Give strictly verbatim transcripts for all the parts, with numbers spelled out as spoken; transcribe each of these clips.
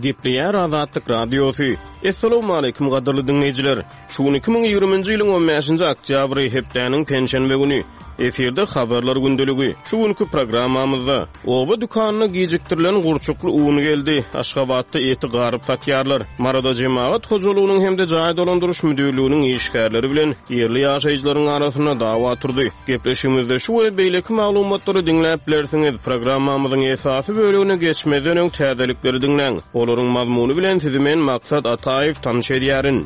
Gepleýär Azatlyk Radiosy. Essalawmaleýkim gadyrly diňleýjiler. Şu gün iki müň ýigriminji ýylyň on bäşinji oktýabry, hepdäniň penşenbe güni. Efirde Habarlar gündeligi. Şu günki programmamyzda oba dükanyna gijikdirilen gurçukly un geldi. Aşgabatda eti garyp satýarlar. Maryda jemagat hojalygynyň hem-de jaý dolandyryş müdirliginiň işgärleri bilen ýerli ýaşaýjylaryň arasynda dawa turdy. Gepleşigimizde şu we beýleki maglumatlary diňläp bilersiňiz. Programmamyzyň esasy bölegine geçmezden öň täzelikleri diňläň. Olaryň mazmuny bilen sizi men Maksat Ataýew tanyş edýärin.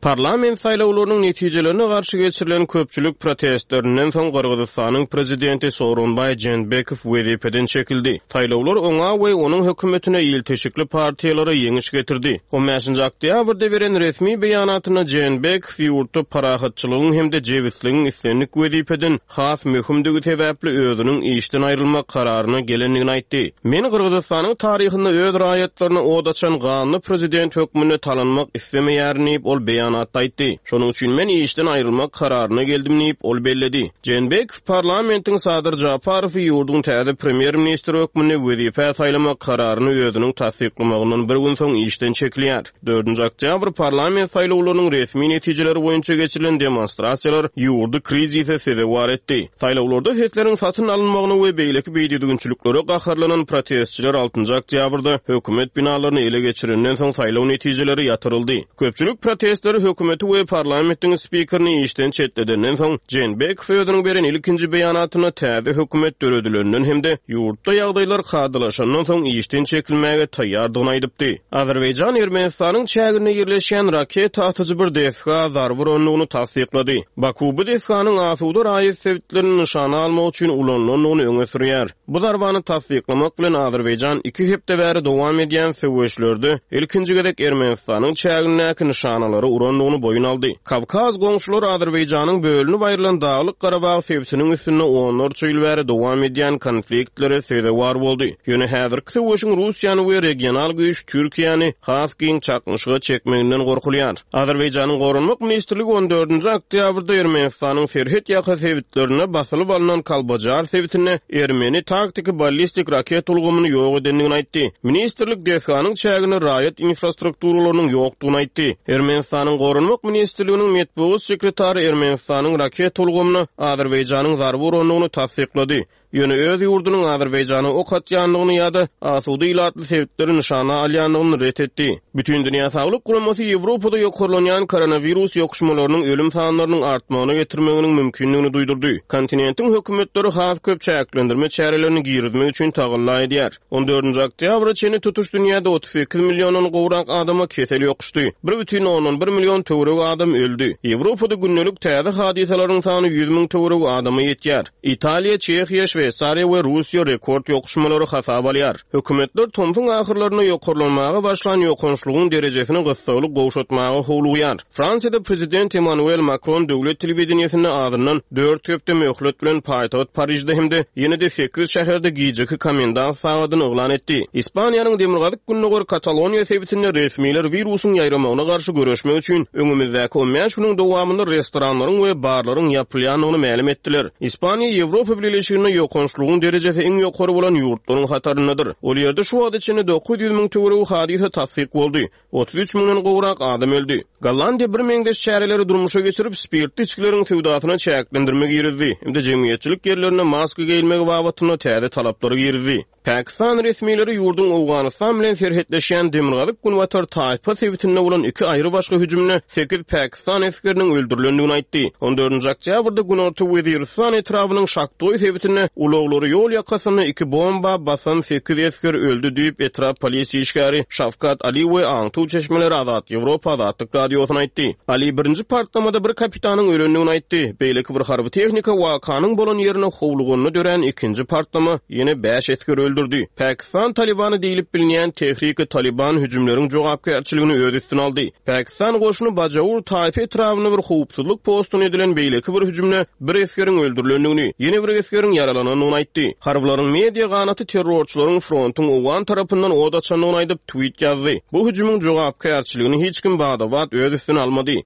Parlament saýlawlarynyň netijelerine garşy geçirilen köpçülik protestlerinden soň Gyrgyzystanyň prezidenti Sooronbaý Jeenbekow wezipeden çekildi. Saýlawlar oňa we onuň hökümetine ilteşikli partiýalara ýeňiş getirdi. on bäşinji oktýabrda beren resmi beýanatynda Jeenbekow ýurtda parahatçylygyň hem-de jebisligiň islendik wezipeden has möhümdigi sebäpli özüniň işden aýrylmak kararyna gelendigini aýtdy. Men Gyrgyzystanyň taryhynda öz raýatlaryna od açan ganly prezident hökmünde talanmak islemeýärin diýip ol beýan aýtdy. Şonuň üçin men işden aýrylmak kararyna geldim diýip ol belledi. Jeenbekow parlamentiň Sadyr Japarowy ýurduň täze premýer-ministri hökmünde wezipä saýlamak kararyny özüniň tassyklamagyndan bir gün soň işden çekilýär. Dördünji oktýabr parlament saýlawlarynyň resmi netijeleri boýunça geçirilen demonstrasiýalar ýurdy krizise sezewar etdi. Saýlawlarda sesleriň satyn alynmagyna we beýleki beýdüzgünçiliklere gaharlanan protestçiler altynjy oktýabrda hökümet binalaryny ele geçirenden soň saýlaw netijeleri ýatyryldy. Köpçülik protestleri hökümeti we parlamentiň spikerini işden çetledenden soň Jeenbekow özüniň beren ilkinji beýanatyna täze hökümet döredilenden hem-de ýurtda ýagdaýlar kadalaşandan soň işden çekilmäge taýýardygyny aýdypdy. Azerbaýjan Ermenistanyň çäginde ýerleşýän raketa atyjy bir desga zarba urandygyny tassyklady. Baku bu desganyň asuda raýat sebitlerini nyşana almak üçin ulanylandygyny öňe sürýär. Bu zarbany tassyklamak bilen Azerbaýjan iki hepde bäri dowam edýän söweşlerde ilkinji gezek Ermenistanyň çägindäki nyşanalary urandygyny boýun aldy. Kawkaz goňşular Azerbaýjanyň bölünip aýrylan Daglyk Garabag sebitiniň üstünde onlarça ýyl bäri dowam edýän konfliktlere sezewar boldy. Ýöne häzirki söweşiň Russiýany we regional güýç Türkiýäni has giň çaknyşyga çekmeginden gorkulýar. Azerbaýjanyň Goranmak ministrligi on dördünji oktýabrda Ermenistanyň serhet ýaka sebitlerine basylyp alynan Kalbajar sebitinde Ermeni taktiki ballistik raket ulgamyny ýok edendigini aýtdy. Ministrlik desganyň çäginde raýat infrastrukturalarynyň ýokdugyny aýtdy. Ermenistanyň Goranmak ministrliginiň metbugat sekretary Ermenistanyň raket ulgamyna Azerbaýjanyň zarba urandygyny tassyklady. Ýöne öz ýurdunyň Azerbaýjana ok atýandygyny ýa-da asuda ilatly sebitleri nyşana alýandygyny ret etdi. Bütün Dünýä Saglyk Guramasy Ýewropada ýokarlanýan koronawirus ýokuşmalarynyň ölüm sanlarynyň artmagyna getirmeginiň mümkindigini duýdurdy. Kontinentiň hökümetleri has köp çäklendirme çärelerini girizmek üçin tagalla edýär. on dördünji oktýabra çenli tutuş dünýäde otuz sekiz milliondan gowrak adama kesel ýokuşdy. bir bütin ondan bir million töweregi adam öldi. Ýewropada gündelik täze hadysalaryň sany ýüz müň töweregi adama ýetýär. Italiýa, Çehiýa, Şweýsariýa we Russiýa rekord ýokuşmalary hasap alýar. Hökümetler tomsuň ahyrlaryna ýokarlanmaga başlan ýokançlygyň derejesini gyssagly gowşatmaga howlugýar. Fransiýada prezident Emmanuel Macron döwlet telewideniýesinde azyndan dört hepde möhlet bilen paýtagt Parižde hem-de ýene-de sekiz şäherde gijeki komendant sagadyny yglan etdi. Ispaniýanyň demirgazyk gündogar Kataloniýa sebitinde resmiler wirusyň ýaýramagyna garşy göreşmek üçin öňümizdäki on bäş günüň dowamynda restoranlaryň we barlaryň ýapylýandygyny mälim etdiler. Ispaniýa Ýewropa Bileleşiginde ýokançlygyň derejesi iň ýokary bolan ýurtlaryň hataryndadyr. Ol ýerde şu wagta çenli dokuz ýüz müň töweregi hadysa tassyk boldy. otuz üç müňden gowrak adam öldi. Gollandiýa bir meňzeş çäreleri durmuşa geçirip, spirtli içgileriň söwdasyna çäklendirme girizdi. Hem-de jemgyýetçilik ýerlerinde maska geýilmegi babatynda täze talaplary girizdi. Pakistan resmileri ýurduň Owganystan bilen serhetleşýän Demirgazyk Günbatar Taýpa sebitinde bolan iki aýry başga hüjümde sekiz Pakistan esgeriniň öldürilendigini aýtdy. on dördünji oktýabrda Günorta Weziristan etrabynyň Şaktoý sebitinde ulaglary ýol ýakasynda iki bomba basan sekiz esger öldi diýip etrap polisiýa işgäri Şafkat Ali we Aňtuw çeşmeleri Azat Ýewropa Azatlyk radiosyna aýtdy. Ali birinji partlamada bir kapitanyň ölendigini aýtdy. Beýleki bir harby tehnika wakanyň bolan ýerine howluganda dörän ikinji partlama ýene bäş esger öldürdi. Pakistan Talibany diýilip bilinýän Tehriki Taliban hüjümleriň jogapkärçiligini öz üstüne aldy. Pakistan goşuny Bajaur Taýpa etrabynda bir howpsuzlyk postuna edilen beýleki bir hüjümde bir esgeriň öldürilendigini, ýene bir esgeriň ýaralanandygyny aýtdy. Harbylaryň media ganaty terrorçylaryň frontuň Owgan tarapyndan od açandygyny aýdyp tweet ýazdy. Bu hüjümiň jogapkärçiligini hiç kim badabat öz üstüne almady.